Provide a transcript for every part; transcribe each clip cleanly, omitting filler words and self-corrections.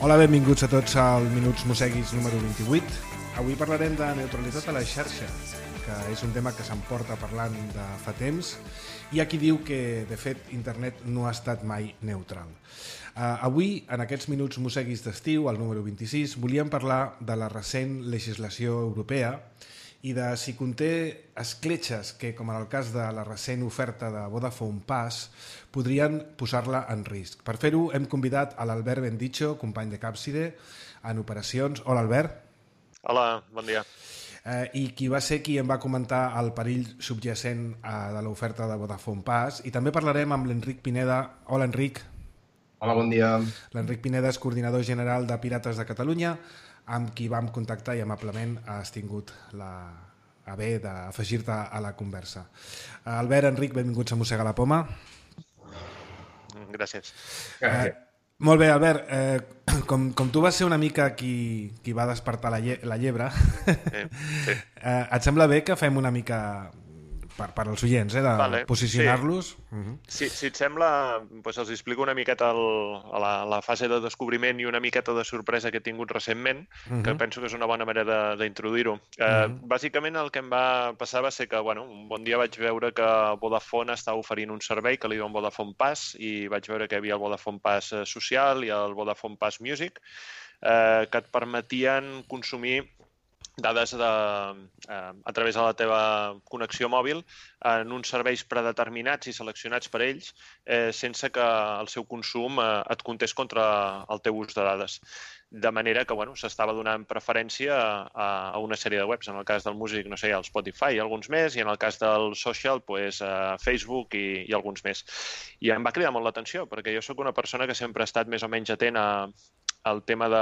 Hola, benvinguts a tots al Minuts Mosseguis número 28. Avui parlarem de neutralitat a la xarxa, que és un tema que s'emporta parlant de fa temps. Hi ha qui diu que, de fet, internet no ha estat mai neutral. Avui, en aquests Minuts Mosseguis d'estiu, al número 26, volíem parlar de la recent legislació europea i de si conté escletxes que, com en el cas de la recent oferta de Vodafone Pass, podrien posar-la en risc. Per fer-ho hem convidat a l'Albert Bendicho, company de Capside, en operacions. Hola, Albert. Hola, bon dia. I qui va ser qui em va comentar el perill subjacent de l'oferta de Vodafone Pass. I també parlarem amb l'Enric Pineda. Hola, Enric. Hola, bon dia. L'Enric Pineda és coordinador general de Pirates de Catalunya, amb qui vam contactar i amablement has tingut a bé d'afegir-te a la conversa. Albert, Enric, benvinguts a Mossegar la Poma. Gràcies. Molt bé, Albert, com tu vas ser una mica qui va despertar la llebre, Sí. Et sembla bé que fem una mica per als oients, de posicionar-los? Sí. Si et sembla, doncs els explico una miqueta la fase de descobriment i una miqueta de sorpresa que he tingut recentment, que penso que és una bona manera d'introduir-ho. Bàsicament el que em va passar va ser que un bon dia vaig veure que Vodafone estava oferint un servei que li diuen Vodafone Pass i vaig veure que hi havia el Vodafone Pass social i el Vodafone Pass Music que et permetien consumir dades a través de la teva connexió mòbil en uns serveis predeterminats i seleccionats per ells sense que el seu consum et comptés contra el teu ús de dades. De manera que s'estava donant preferència a una sèrie de webs. En el cas del músic, no sé, el Spotify i alguns més, i en el cas del social, Facebook i alguns més. I em va cridar molt l'atenció, perquè jo sóc una persona que sempre ha estat més o menys atent al tema de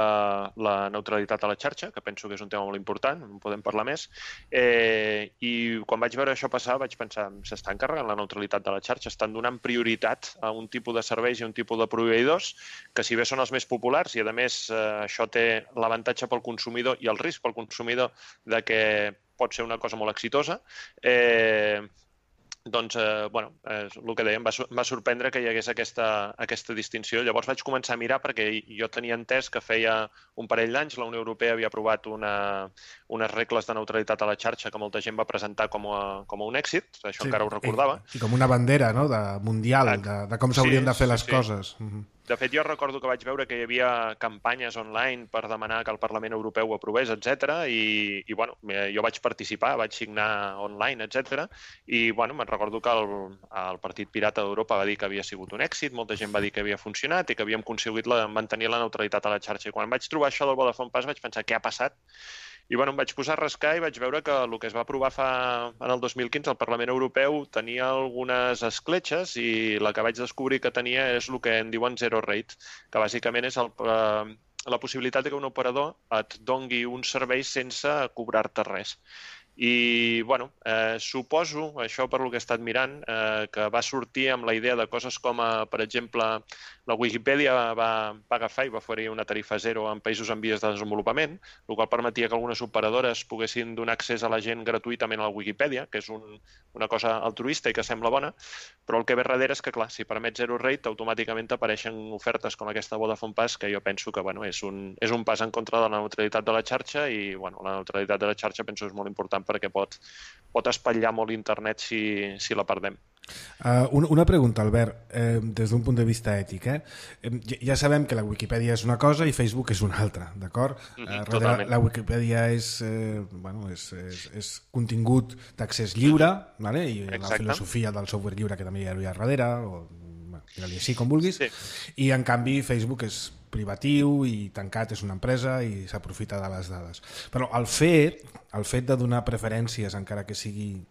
la neutralitat a la xarxa, que penso que és un tema molt important, en podem parlar més, i quan vaig veure això passar vaig pensar, s'estan carregant la neutralitat de la xarxa, estan donant prioritat a un tipus de serveis i a un tipus de proveïdors que si bé són els més populars i a més això té l'avantatge pel consumidor i el risc pel consumidor de que pot ser una cosa molt exitosa, doncs, és el que dèiem, em va sorprendre que hi hagués aquesta distinció. Llavors vaig començar a mirar perquè jo tenia entès que feia un parell d'anys la Unió Europea havia aprovat unes regles de neutralitat a la xarxa que molta gent va presentar com a un èxit, això encara ho recordava. I com una bandera, no?, mundial, de com s'haurien de fer les coses. De fet, jo recordo que vaig veure que hi havia campanyes online per demanar que el Parlament Europeu ho aprovés, etc. I jo vaig participar, vaig signar online, etc. I me'n recordo que el Partit Pirata d'Europa va dir que havia sigut un èxit, molta gent va dir que havia funcionat i que havíem aconseguit mantenir la neutralitat a la xarxa. I quan vaig trobar això del Vodafone Pass vaig pensar, què ha passat? I em vaig posar a rascar i vaig veure que el que es va aprovar en el 2015 al Parlament Europeu tenia algunes escletxes i la que vaig descobrir que tenia és el que en diuen zero rate, que bàsicament és la possibilitat que un operador et dongui un servei sense cobrar-te res. I, suposo, això per lo que he estat mirant, que va sortir amb la idea de coses com, per exemple, la Wikipedia va agafar i va oferir una tarifa zero en països en vies de desenvolupament, el qual permetia que algunes operadores poguessin donar accés a la gent gratuïtament a la Wikipedia, que és una cosa altruista i que sembla bona, però el que ve darrere és que, clar, si permet zero rate, automàticament t'apareixen ofertes com aquesta Vodafone Pass, que jo penso que és un pas en contra de la neutralitat de la xarxa i la neutralitat de la xarxa penso que és molt important perquè pot espatllar molt internet si la perdem. Una pregunta, Albert, des d'un punt de vista ètic. Ja sabem que la Wikipedia és una cosa i Facebook és una altra, d'acord? Totalment. La Wikipedia és contingut d'accés lliure, i la filosofia del software lliure que també hi ha darrere, o digue-li així com vulguis, i en canvi Facebook és privatiu i tancat, és una empresa i s'aprofita de les dades. Però el fet de donar preferències, encara que sigui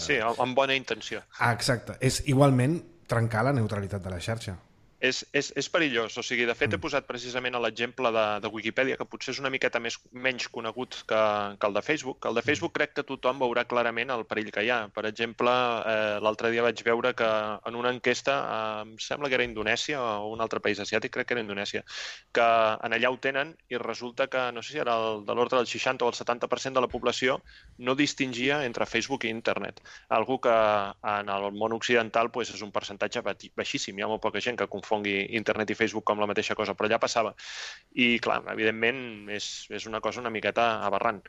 Sí, amb bona intenció. Exacte. És igualment trencar la neutralitat de la xarxa. És perillós. O sigui, de fet, he posat precisament l'exemple de Wikipedia, que potser és una miqueta menys conegut que el de Facebook. El de Facebook crec que tothom veurà clarament el perill que hi ha. Per exemple, l'altre dia vaig veure que en una enquesta, em sembla que era Indonèsia o un altre país asiàtic, crec que era Indonèsia, que en allà ho tenen i resulta que, no sé si era de l'ordre del 60 o el 70% de la població no distingia entre Facebook i internet. Algo que en el món occidental és un percentatge baixíssim. Hi ha molt poca gent que confon confongui internet i Facebook com la mateixa cosa, però ja passava. I, clar, evidentment, és una cosa una miqueta aberrant.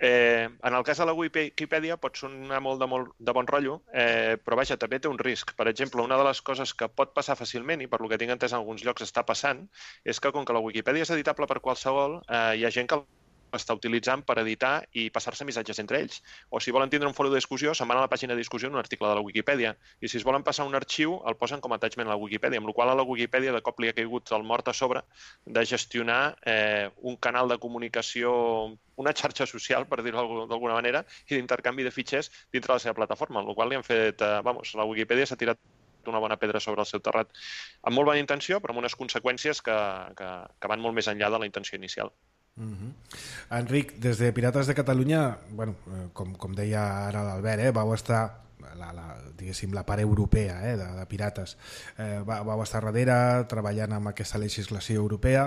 En el cas de la Wikipedia pot sonar molt de bon rotllo, però vaja, també té un risc. Per exemple, una de les coses que pot passar fàcilment, i per lo que tinc entès en alguns llocs està passant, és que com que la Wikipedia és editable per qualsevol, hi ha gent que està utilitzant per editar i passar-se missatges entre ells. O si volen tindre un foro de discussió, se'n van a la pàgina de discussió en un article de la Wikipedia. I si es volen passar un arxiu, el posen com a attachment a la Wikipedia, amb la qual a la Wikipedia de cop li ha caigut el mort a sobre de gestionar un canal de comunicació, una xarxa social, per dir-ho d'alguna manera, i d'intercanvi de fitxers dintre la seva plataforma, amb la qual li han fet, la Wikipedia s'ha tirat una bona pedra sobre el seu terrat. Amb molt bona intenció, però amb unes conseqüències que van molt més enllà de la intenció inicial. Enric, des de Pirates de Catalunya, bueno, com deia ara l'Albert, vau estar diguéssim la part europea de Pirates, vau estar darrere treballant amb aquesta legislació europea.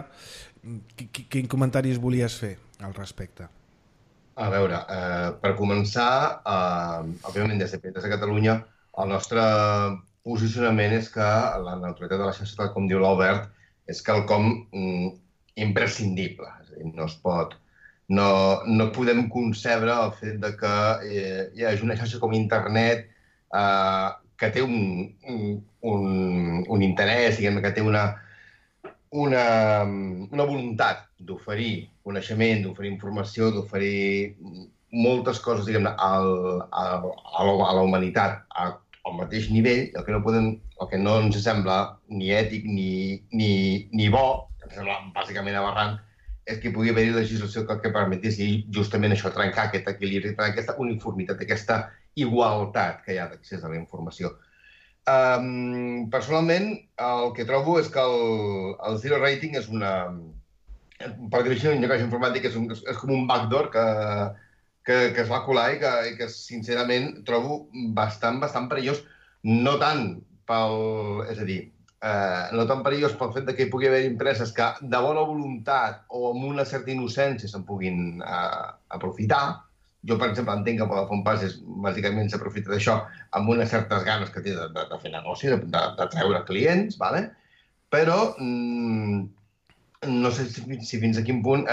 Quin comentaris volies fer al respecte? A veure, per començar, òbviament des de Pirates de Catalunya el nostre posicionament és que la neutralitat de la xarxa, tal com diu l'Albert, és quelcom imprescindible. És a dir, no es pot... No podem concebre el fet de que hi hagi una xarxa com internet que té un interès, diguem, que té una voluntat d'oferir coneixement, d'oferir informació, d'oferir moltes coses, diguem, a la humanitat al mateix nivell. El que no ens sembla ni ètic ni bo, que ens sembla bàsicament aberrant, és que hi pugui haver legislació que permetís justament això, trencar aquest equilibri, trencar aquesta uniformitat, aquesta igualtat que hi ha d'accés a la informació. Personalment, el que trobo és que el zero rating és per dir-ho així, un llenguatge informàtic és com un backdoor que es va colar i que sincerament trobo bastant perillós, no tant no tan perillós pel fet que hi pugui haver empreses que de bona voluntat o amb una certa innocència se'n puguin aprofitar. Jo, per exemple, entenc que Vodafone Pass bàsicament s'aprofita d'això amb unes certes ganes que té de fer negoci, de treure clients, però no sé si fins a quin punt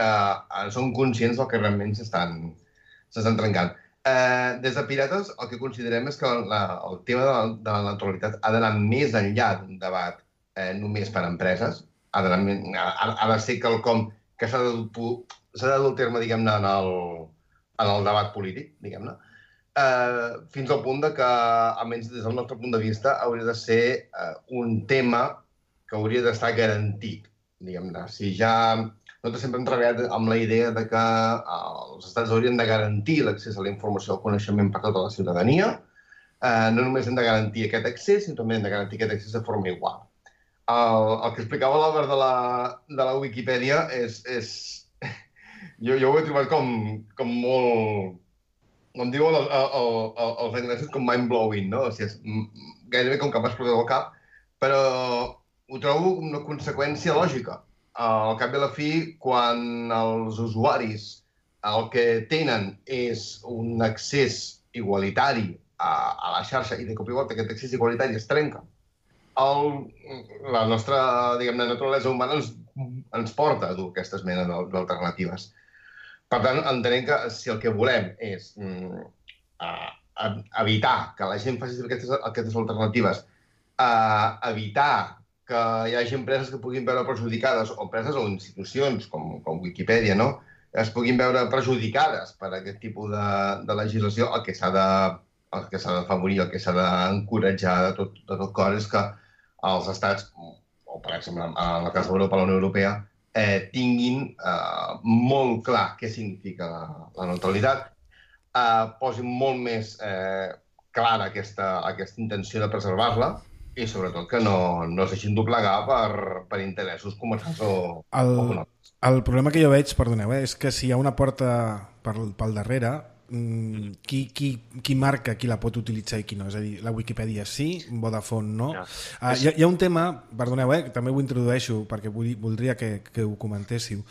són conscients del que realment s'estan trencant. Des de Pirates el que considerem és que el tema de la neutralitat ha d'anar més enllà d'un debat només per a empreses, ha de ser quelcom que s'ha de dur a terme, diguem-ne, en el debat polític, diguem-ne, fins al punt que, almenys des del nostre punt de vista, hauria de ser un tema que hauria d'estar garantit, diguem-ne. Si ja nosaltres sempre hem treballat amb la idea de que els estats haurien de garantir l'accés a la informació i al coneixement per tota la ciutadania. No només hem de garantir aquest accés, sinó també hem de garantir aquest accés de forma igual. El que explicava l'Albert de la Wikipedia jo ho he trobat com molt... Com diuen els anglesos, com mind-blowing, no? O sigui, és gairebé com que m'ha explotat el cap, però ho trobo una conseqüència lògica. Al cap i a la fi, quan els usuaris el que tenen és un accés igualitari a la xarxa i de cop i volta aquest accés igualitari es trenca, la nostra, diguem-ne, naturalesa humana ens porta a dur aquestes menes d'alternatives. Per tant, entenem que si el que volem és evitar que la gent faci aquestes alternatives, evitar que hi hagi empreses que puguin veure perjudicades, o empreses o institucions com Wikipedia, no?, es puguin veure perjudicades per aquest tipus de legislació, el que s'ha d'afavorir, el que s'ha d'encoratjar de tot cor és que els estats, o per exemple en el cas d'Europa, la Unió Europea, tinguin molt clar què significa la neutralitat, posin molt més clara aquesta intenció de preservar-la, i sobretot que no es deixin doblegar per interessos comercials o econòmics. El problema que jo veig, perdoneu, és que si hi ha una porta pel darrere, qui marca qui la pot utilitzar i qui no? És a dir, la Wikipedia sí, Vodafone no. Hi ha un tema, perdoneu, també ho introdueixo perquè voldria que ho comentéssiu.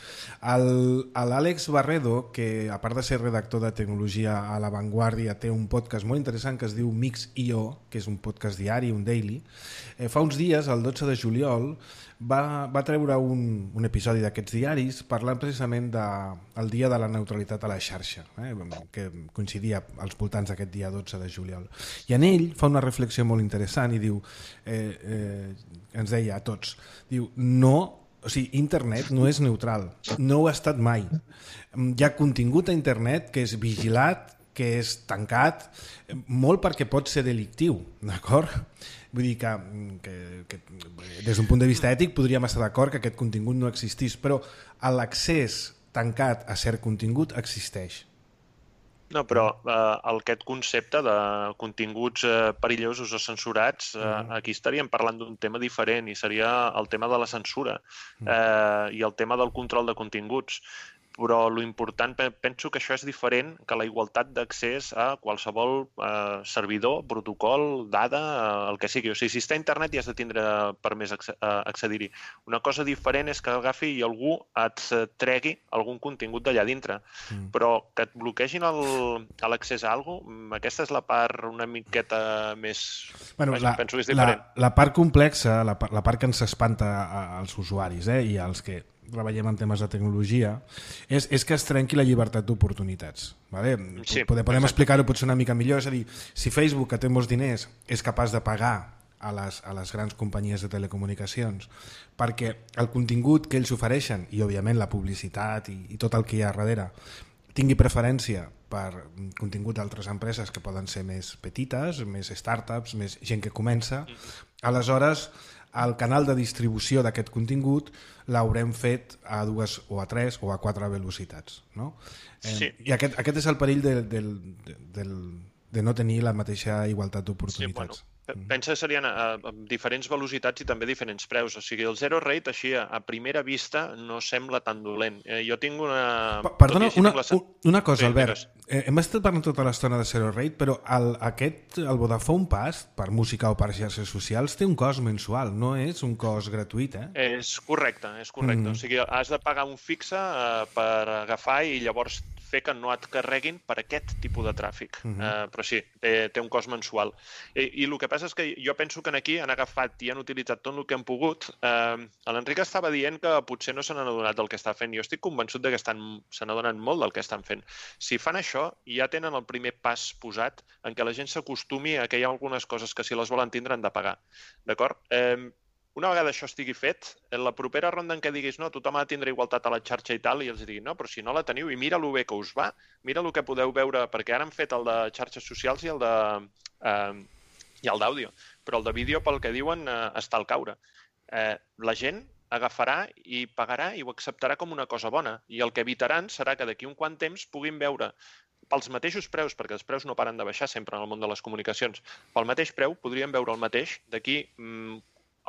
L'Àlex Barredo, que a part de ser redactor de tecnologia a La Vanguardia, té un podcast molt interessant que es diu Mix.io, que és un podcast diari, un daily. Fa uns dies, el 12 de juliol, va treure un episodi d'aquests diaris parlant precisament del dia de la neutralitat a la xarxa, que coincidia als voltants d'aquest dia 12 de juliol. I en ell fa una reflexió molt interessant i diu, ens deia a tots, diu, internet no és neutral, no ho ha estat mai. Hi ha contingut a internet que és vigilat, que és tancat, molt perquè pot ser delictiu, d'acord? Vull dir que des d'un punt de vista ètic podríem estar d'acord que aquest contingut no existís, però l'accés tancat a cert contingut existeix. No, però aquest concepte de continguts perillosos o censurats, aquí estaríem parlant d'un tema diferent i seria el tema de la censura i el tema del control de continguts. Però l'important, penso que això és diferent que la igualtat d'accés a qualsevol servidor, protocol, dada, el que sigui. O sigui, si està a internet ja has de tindre permès accedir-hi. Una cosa diferent és que agafi i algú et tregui algun contingut d'allà dintre. Però que et bloquegin l'accés a alguna cosa, aquesta és la part una miqueta més... Penso que és diferent. La part complexa, la part que ens espanta als usuaris i als que treballem en temes de tecnologia, és que es trenqui la llibertat d'oportunitats. Sí, podem explicar-ho potser una mica millor, és a dir, si Facebook, que té molts diners, és capaç de pagar a les grans companyies de telecomunicacions perquè el contingut que ells ofereixen, i òbviament la publicitat i tot el que hi ha darrere, tingui preferència per contingut d'altres empreses que poden ser més petites, més startups, més gent que comença, aleshores el canal de distribució d'aquest contingut l'haurem fet a 2 o a 3 o a 4 velocitats, no? Sí. I aquest és el perill de no tenir la mateixa igualtat d'oportunitats. Pensa que serien diferents velocitats i també diferents preus. O sigui, el zero rate, així, a primera vista, no sembla tan dolent. Jo tinc una... Perdona, una cosa, Albert. Hem estat parlant tota l'estona de zero rate, però el Vodafone Pass, per música o per xarxes socials, té un cost mensual, no és un cost gratuït, És correcte, és correcte. O sigui, has de pagar un fixe per agafar i llavors fer que no et carreguin per aquest tipus de tràfic. Però sí, té un cost mensual. I el que passa és que jo penso que aquí han agafat i han utilitzat tot el que han pogut. L'Enric estava dient que potser no se n'han adonat del que està fent. Jo estic convençut que se n'adonen molt del que estan fent. Si fan això, ja tenen el primer pas posat en què la gent s'acostumi a que hi ha algunes coses que si les volen tindre han de pagar. D'acord? Una vegada això estigui fet, en la propera ronda en què diguis no, tothom ha de tindre igualtat a la xarxa i tal, i els digui no, però si no la teniu, i mira lo bé que us va, mira el que podeu veure, perquè ara han fet el de xarxes socials i el d'àudio, però el de vídeo, pel que diuen, està al caure. La gent agafarà i pagarà i ho acceptarà com una cosa bona, i el que evitaran serà que d'aquí un quant temps puguin veure pels mateixos preus, perquè els preus no paren de baixar sempre en el món de les comunicacions, pel mateix preu podríem veure el mateix d'aquí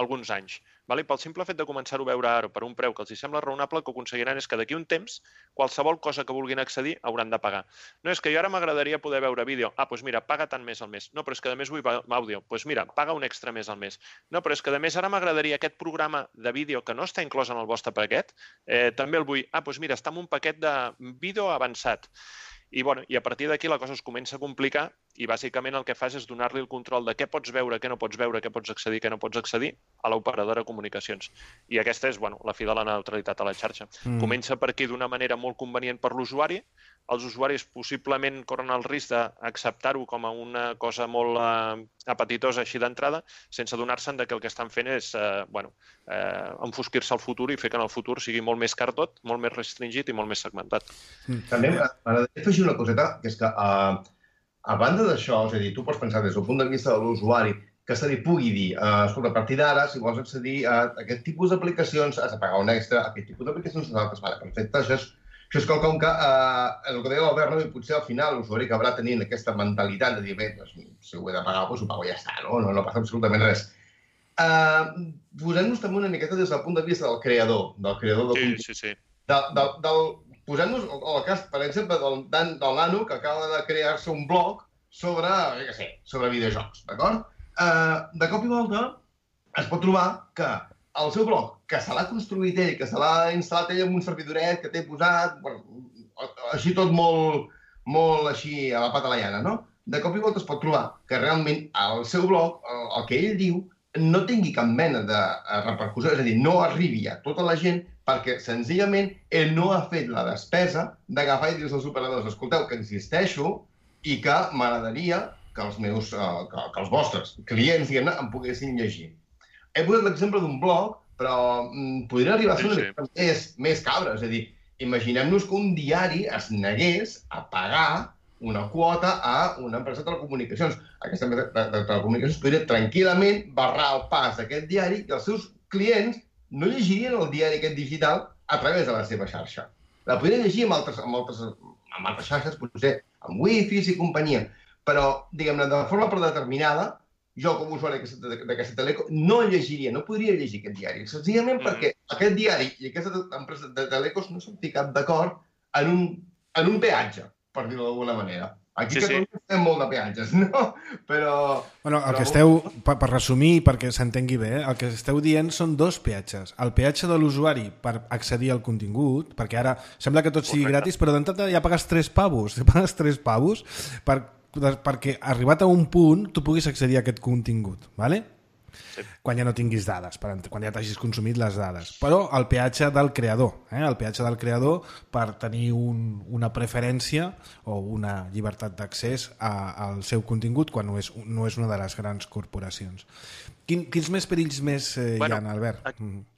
alguns anys. Pel simple fet de començar-ho a veure ara per un preu que els sembla raonable, el que aconseguiran és que d'aquí un temps qualsevol cosa que vulguin accedir hauran de pagar. No és que jo ara m'agradaria poder veure vídeo. Doncs mira, paga tant més al mes. No, però és que a més vull àudio. Doncs mira, paga un extra més al mes. No, però és que a més ara m'agradaria aquest programa de vídeo que no està inclòs en el vostre paquet, també el vull. Doncs mira, està en un paquet de vídeo avançat. I a partir d'aquí la cosa es comença a complicar i bàsicament el que fas és donar-li el control de què pots veure, què no pots veure, què pots accedir, què no pots accedir a l'operadora de comunicacions. I aquesta és la fi de la neutralitat a la xarxa. Comença per aquí d'una manera molt convenient per l'usuari. Els usuaris possiblement corren el risc d'acceptar-ho com a una cosa molt apetitosa així d'entrada, sense adonar-se'n que el que estan fent és enfosquir-se al futur i fer que en el futur sigui molt més car tot, molt més restringit i molt més segmentat. També m'agradaria afegir una coseta, que és que a banda d'això, és a dir, tu pots pensar des del punt de vista de l'usuari que se li pugui dir, escolta, a partir d'ara, si vols accedir a aquest tipus d'aplicacions, has de pagar un extra, a aquest tipus d'aplicacions nosaltres, perfecte, això és quelcom que, el que deia l'Albert, potser al final l'usuari acabarà tenint aquesta mentalitat de dir, bé, si ho he de pagar, doncs ho pago i ja està, no passa absolutament res. Posem-nos també una miqueta des del punt de vista del creador, del posant-nos el cas, per exemple, del nano que acaba de crear-se un blog sobre, sobre videojocs, d'acord? De cop i volta es pot trobar que el seu blog, que se l'ha construït ell, que se l'ha instal·lat ell en un servidoret que té posat, així tot molt així a la pata la llana, no? De cop i volta es pot trobar que realment el seu blog, el que ell diu, no tingui cap mena de repercussió, és a dir, no arribi a tota la gent perquè senzillament ell no ha fet la despesa d'agafar i dir als operadors: escolteu, que existeixo i que m'agradaria que els vostres clients, diguem-ne, em poguessin llegir. He posat l'exemple d'un blog, però podria arribar a ser una mica més cabra. És a dir, imaginem-nos que un diari es negués a pagar una quota a una empresa de telecomunicacions. Aquesta empresa de telecomunicacions podria tranquil·lament barrar el pas d'aquest diari i els seus clients no llegirien el diari aquest digital a través de la seva xarxa. La podrien llegir amb altres xarxes, potser amb wifis i companyia, però, diguem-ne, de forma predeterminada, jo com a usuari d'aquesta teleco no llegiria, no podria llegir aquest diari, senzillament perquè aquest diari i aquesta empresa de telecos no s'han ficat d'acord en un peatge, per dir-ho d'alguna manera. Aquí a Catalunya estem molt de peatges, no? Però... Bueno, el que esteu, per resumir, perquè s'entengui bé, el que esteu dient són dos peatges. El peatge de l'usuari per accedir al contingut, perquè ara sembla que tot sigui gratis, però d'entrada ja pagues 3 pavos. Pagues 3 pavos perquè arribat a un punt tu puguis accedir a aquest contingut, ¿vale? Sí. Quan ja no tinguis dades, quan ja t'hagis consumit les dades. Però el peatge del creador, el peatge del creador per tenir una preferència o una llibertat d'accés al seu contingut quan no és una de les grans corporacions. Quins més perills més hi ha, Albert?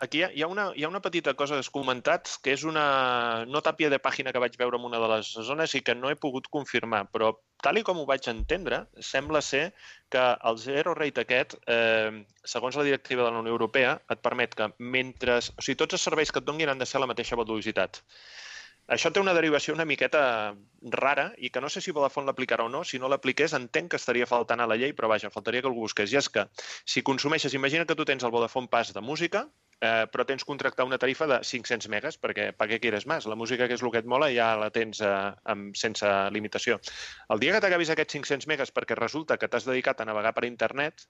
Aquí hi ha una petita cosa que has comentat, que és una notàpia de pàgina que vaig veure en una de les zones i que no he pogut confirmar, però tal i com ho vaig entendre, sembla ser que el zero rate aquest, segons la directiva de la Unió Europea, et permet que mentre... O sigui, tots els serveis que et donguin han de ser a la mateixa velocitat. Això té una derivació una miqueta rara i que no sé si Vodafone l'aplicarà o no. Si no l'apliqués, entenc que estaria faltant a la llei, però vaja, faltaria que algú busqués. I és que si consumeixes, imagina que tu tens el Vodafone Pass de música, però tens contractar una tarifa de 500 megas, perquè per què quieres més? La música, que és el que et mola, ja la tens sense limitació. El dia que t'acabis aquests 500 megas perquè resulta que t'has dedicat a navegar per internet,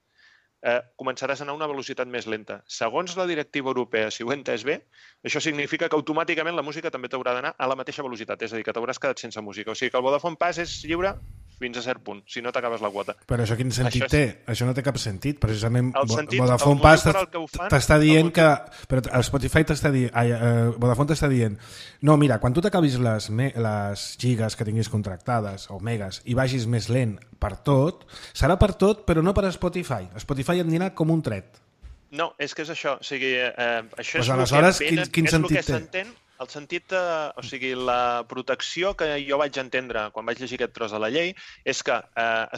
començaràs a anar a una velocitat més lenta. Segons la directiva europea, si ho he entès bé, això significa que automàticament la música també t'haurà d'anar a la mateixa velocitat, és a dir, que t'hauràs quedat sense música. O sigui que el Vodafone Pass és lliure fins a cert punt, si no t'acabes la quota. Però això quin sentit té? Això no té cap sentit. Precisament Vodafone Pass t'està dient que... Però Spotify t'està dient... Vodafone t'està dient no, mira, quan tu t'acabis les gigas que tinguis contractades o megas i vagis més lent per tot, serà per tot, però no per Spotify. Spotify et anirà com un tret. No, és que és això. O sigui, això és aleshores, quin sentit té? El sentit, o sigui, la protecció que jo vaig entendre quan vaig llegir aquest tros de la llei és que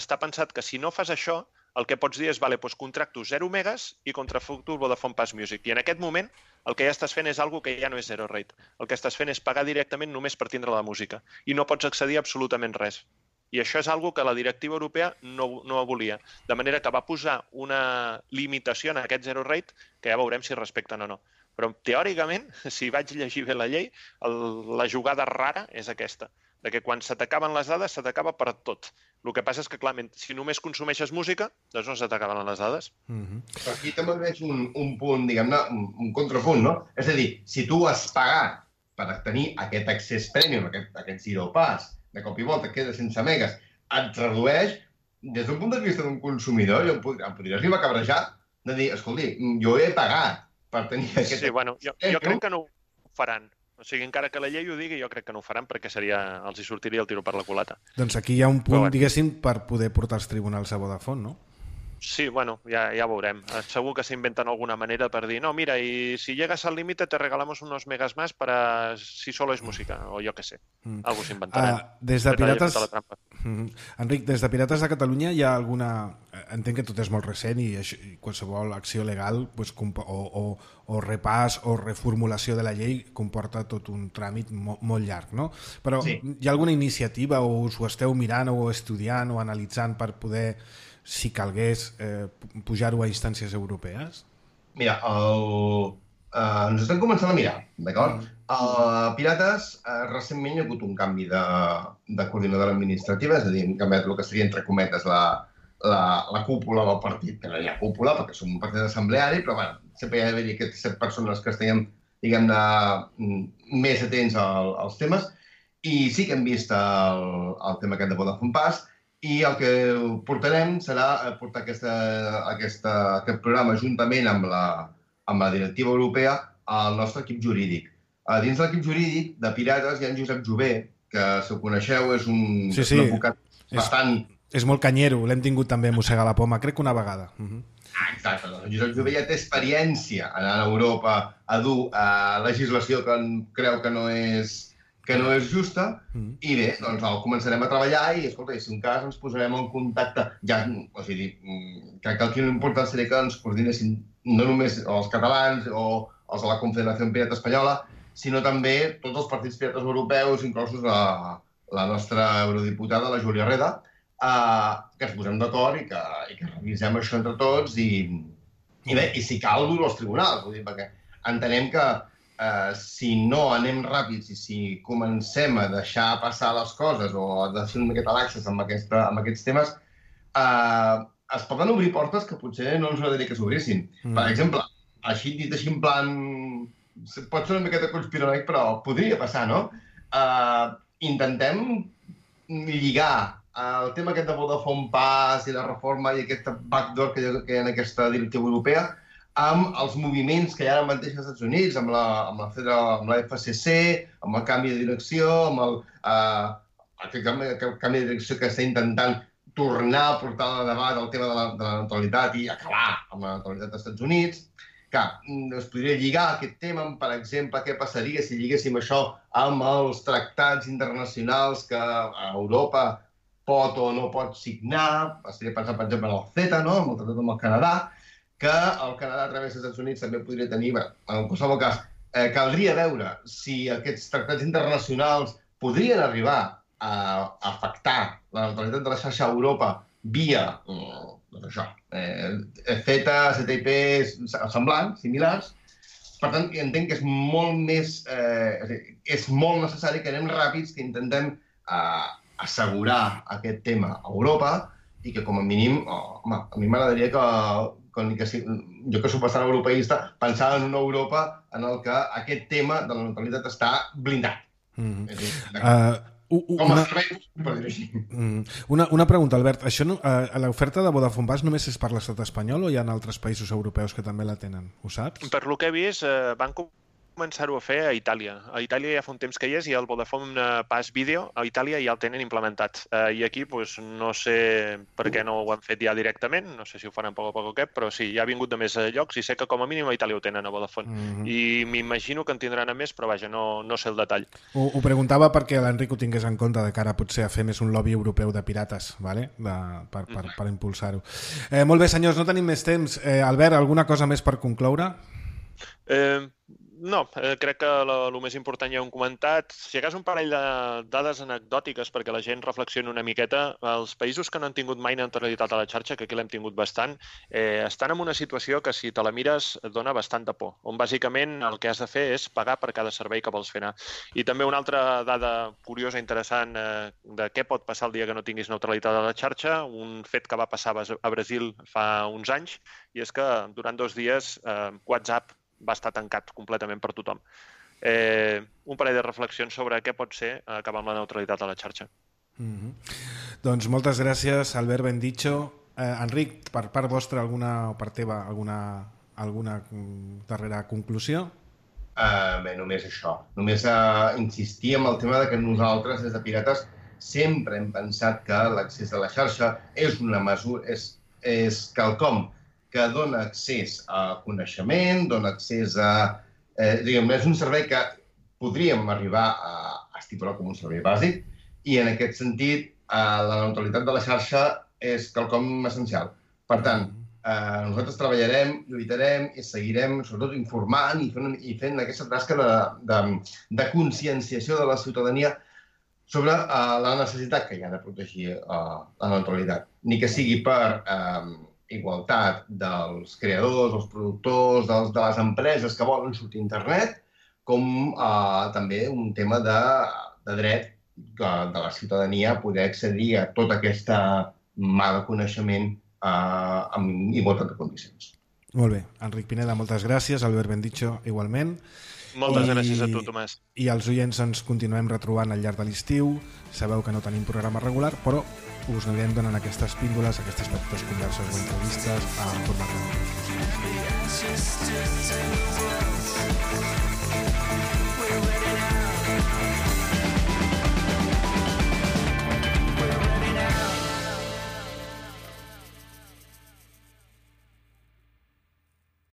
està pensat que si no fas això, el que pots dir és, vale, doncs contracto 0 megas i contrafacto el Vodafone Pass Music. I en aquest moment el que ja estàs fent és algo que ja no és zero rate. El que estàs fent és pagar directament només per tindre la música i no pots accedir a absolutament res. I això és algo que la directiva europea no volia. De manera que va posar una limitació en aquest zero rate que ja veurem si respecten o no. Però teòricament, si vaig llegir bé la llei, la jugada rara és aquesta, de que quan se t'acaben les dades, se t'acaba per tot. El que passa és que, clar, si només consumeixes música, doncs no se t'acaben les dades. Però aquí també veig un punt, diguem-ne, un contrapunt, no? És a dir, si tu has pagat per tenir aquest accés premium, aquest zero pass, de cop i volta queda sense megas, et redueix, des d'un punt de vista d'un consumidor, em podria arribar a cabrejar de dir, escolti, jo he pagat per tenir aquest... Sí, bueno, jo crec que no ho faran. O sigui, encara que la llei ho digui, jo crec que no ho faran perquè els hi sortiria el tiro per la culata. Doncs aquí hi ha un punt, diguéssim, per poder portar als tribunals a Vodafone, no? Sí, bueno, ya veurem. Segur que s'inventen alguna manera per dir, no, mira, y si llegas al límite te regalamos unos megas más para si solo es música, o jo què sé. Algo s'inventaran. Des de Pirates... Enric, des de Pirates de Catalunya hi ha alguna... Entenc que tot és molt recent i qualsevol acció legal o repàs o reformulació de la llei comporta tot un tràmit molt llarg, no? Però hi ha alguna iniciativa o us ho esteu mirant o estudiant o analitzant per poder, si calgués, pujar-ho a instàncies europees? Mira, ens estem començant a mirar, d'acord? A Pirates, recentment hi ha hagut un canvi de coordinadora administrativa, és a dir, han canviat el que seria, entre cometes, la cúpula del partit, que no hi ha cúpula perquè som un partit assembleari, però bueno, sempre hi ha d'haver aquestes 7 persones que estiguem, diguem-ne, més atents als temes, i sí que hem vist el tema aquest de Vodafone Pass, i el que portarem serà portar aquest programa juntament amb la directiva europea al nostre equip jurídic. Dins de l'equip jurídic de Pirates hi ha en Josep Jové, que, si ho coneixeu, és un advocat bastant... És molt canyero, l'hem tingut també a mossegar la poma, crec que una vegada. Exacte, doncs Josep Jové ja té experiència anant a Europa a dur legislació que creu que no és justa, i bé, doncs el començarem a treballar i, escolta, si un cas ens posarem en contacte. O sigui, crec que aquí l'important seria que ens coordinessin no només els catalans o els de la Confederació Pirata Espanyola, sinó també tots els partits pirates europeus, inclosos la nostra eurodiputada, la Júlia Reda, que ens posem d'acord i que revisem això entre tots i si cal dur-ho als tribunals, perquè entenem que si no anem ràpids i si comencem a deixar passar les coses o a fer una miqueta laxes amb aquests temes, es poden obrir portes que potser no ens agradaria que s'obrissin. Per exemple, dit així en plan... Pot ser una miqueta conspiranoic, però podria passar, no? Intentem lligar el tema aquest de Vodafone Pass i la reforma i aquest backdoor que hi ha en aquesta directiva europea amb els moviments que hi ha ara mateix als Estats Units, amb la FCC, amb el canvi de direcció, amb aquest canvi de direcció que està intentant tornar a portar a debat el tema de la neutralitat i acabar amb la neutralitat dels Estats Units. Clar, es podria lligar aquest tema amb, per exemple, què passaria si lliguéssim això amb els tractats internacionals que Europa pot o no pot signar. Estaria pensant, per exemple, en el CETA, amb el tractat amb el Canadà, que el Canadà a través dels Estats Units també podria tenir. En qualsevol cas, caldria veure si aquests tractats internacionals podrien arribar a afectar la neutralitat de la xarxa a Europa via... doncs això, CETA, TTIP, semblants, similars. Per tant, entenc que és molt més... és molt necessari que anem ràpids, que intentem assegurar aquest tema a Europa i que, com a mínim, home, a mi m'agradaria que jo que soc bastant europeista, pensar en una Europa en què aquest tema de la neutralitat està blindat. Com a servei, per dir-ho així. Una pregunta, Albert. L'oferta de Vodafone Pass només és per l'estat espanyol o hi ha altres països europeus que també la tenen? Ho saps? Per lo que he vist, van començar-ho a fer a Itàlia. A Itàlia ja fa un temps que hi és i el Vodafone Pass Video a Itàlia ja el tenen implementat. I aquí no sé per què no ho han fet ja directament, no sé si ho faran a poc o què, però sí, ja ha vingut de més llocs i sé que com a mínim a Itàlia ho tenen a Vodafone. I m'imagino que en tindran a més, però vaja, no sé el detall. Ho preguntava perquè l'Enric ho tingués en compte de cara potser a fer més un lobby europeu de pirates, per impulsar-ho. Molt bé, senyors, no tenim més temps. Albert, alguna cosa més per concloure? No, crec que el més important ja ho hem comentat. Si hagués un parell de dades anecdòtiques perquè la gent reflexioni una miqueta, els països que no han tingut mai neutralitat a la xarxa, que aquí l'hem tingut bastant, estan en una situació que si te la mires et dona bastanta por, on bàsicament el que has de fer és pagar per cada servei que vols fer anar. I també una altra dada curiosa, interessant, de què pot passar el dia que no tinguis neutralitat a la xarxa, un fet que va passar a Brasil fa uns anys, i és que durant 2 dies WhatsApp va estar tancat completament per tothom. Un parell de reflexions sobre què pot ser acabar amb la neutralitat a la xarxa. Doncs moltes gràcies, Albert Bendicho. Enric, per part vostra o per teva, alguna darrera conclusió? Bé, només això. Només insistir en el tema de que nosaltres, des de Pirates, sempre hem pensat que l'accés a la xarxa és una mesura, és quelcom que dona accés a coneixement, dona accés a... és un servei que podríem arribar a estipular com un servei bàsic i, en aquest sentit, la neutralitat de la xarxa és quelcom essencial. Per tant, nosaltres treballarem, lluitarem i seguirem, sobretot, informant i fent aquesta tasca de conscienciació de la ciutadania sobre la necessitat que hi ha de protegir la neutralitat. Ni que sigui per igualtat dels creadors, els productors, de les empreses que volen sortir a internet, com també un tema de dret de la ciutadania a poder accedir a tota aquesta mà de coneixement amb igualtat de condicions. Molt bé. Enric Pineda, moltes gràcies. Albert Bendicho, igualment. Moltes gràcies a tu, Tomàs. I els oients ens continuem retrobant al llarg de l'estiu. Sabeu que no tenim programa regular, però us anirem donant aquestes píndoles, aquestes petites converses o entrevistes en format de